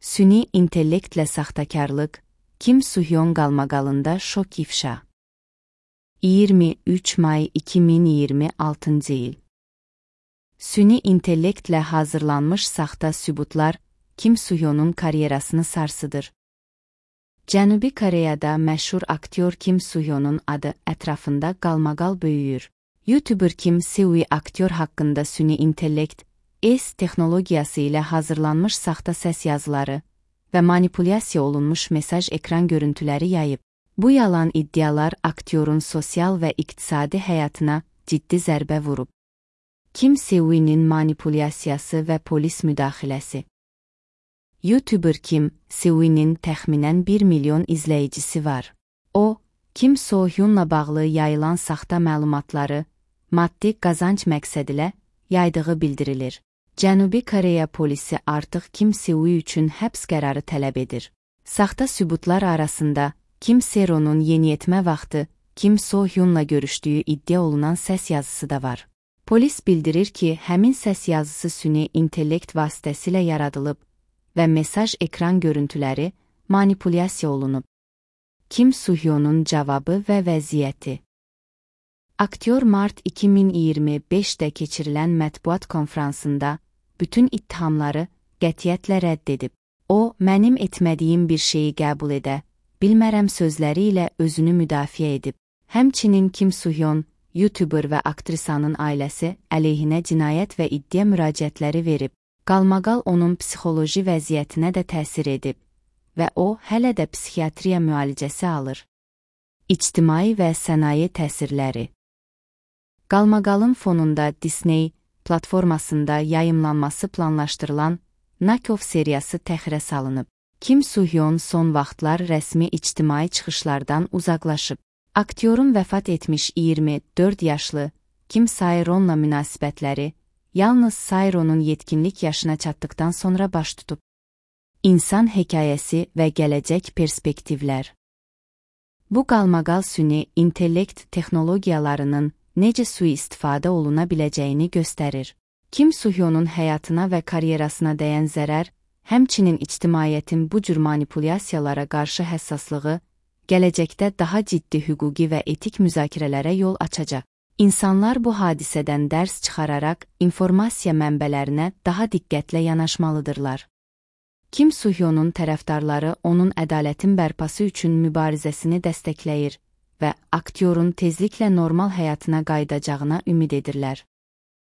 Süni intellektlə saxtakarlıq, Kim Suhyun qalmaqalında şok ifşa. 23 may 2026 il. Süni intellektlə hazırlanmış saxta sübutlar Kim Suhyunun karyerasını sarsıdır. Cənubi Koreyada məşhur aktyor Kim Suhyunun adı ətrafında qalmaqal böyüyür. YouTuber Kim Seui aktyor haqqında süni intellekt, texnologiyası ilə hazırlanmış saxta səs yazıları və manipulyasiya olunmuş mesaj ekran görüntüləri yayıb. Bu yalan iddialar aktyorun sosial və iqtisadi həyatına ciddi zərbə vurub. Kim Seui'nin manipulyasiyası və polis müdaxiləsi. YouTuber Kim Seui'nin təxminən 1 milyon izləyicisi var. O, Kim So-hyunla bağlı yayılan saxta məlumatları maddi qazanc məqsədilə yaydığı bildirilir. Cənubi Koreya polisi artıq Kim Seui üçün həbs qərarı tələb edir. Saxta sübutlar arasında Kim Seronun yeniyetmə vaxtı Kim So-hyunla görüşdüyü iddia olunan səs yazısı da var. Polis bildirir ki, həmin səs yazısı süni intellekt vasitəsilə yaradılıb və mesaj ekran görüntüləri manipulyasiya olunub. Kim So-hyunun cavabı və vəziyyəti. Aktyor mart 2025-də keçirilən mətbuat konfransında bütün ittihamları qətiyyətlə rədd edib. O, mənim etmədiyim bir şeyi qəbul edə, bilmərəm sözləri ilə özünü müdafiə edib. Həmçinin Kim So-hyun, YouTuber və aktrisanın ailəsi əleyhinə cinayət və iddia müraciətləri verib. Qalmaqal onun psixoloji vəziyyətinə də təsir edib və o, hələ də psixiatriya müalicəsi alır. İctimai və sənaye təsirləri. Qalmaqalın fonunda Disney platformasında yayımlanması planlaşdırılan Nakov seriyası təxirə salınıb. Kim So-hyun son vaxtlar rəsmi ictimai çıxışlardan uzaqlaşıb. Aktyorun vəfat etmiş 24 yaşlı Kim Sae-ronla münasibətləri yalnız Sae-ronun yetkinlik yaşına çatdıqdan sonra baş tutub. İnsan hekayəsi və gələcək perspektivlər. Bu qalmaqal süni intellekt texnologiyalarının necə sui-istifadə oluna biləcəyini göstərir. Kim So-hyunun həyatına və karyerasına dəyən zərər, həmçinin ictimaiyyətin bu cür manipulyasiyalara qarşı həssaslığı, gələcəkdə daha ciddi hüquqi və etik müzakirələrə yol açacaq. İnsanlar bu hadisədən dərs çıxararaq informasiya mənbələrinə daha diqqətlə yanaşmalıdırlar. Kim So-hyunun tərəfdarları onun ədalətin bərpası üçün mübarizəsini dəstəkləyir və aktyorun tezliklə normal həyatına qayıdacağına ümid edirlər.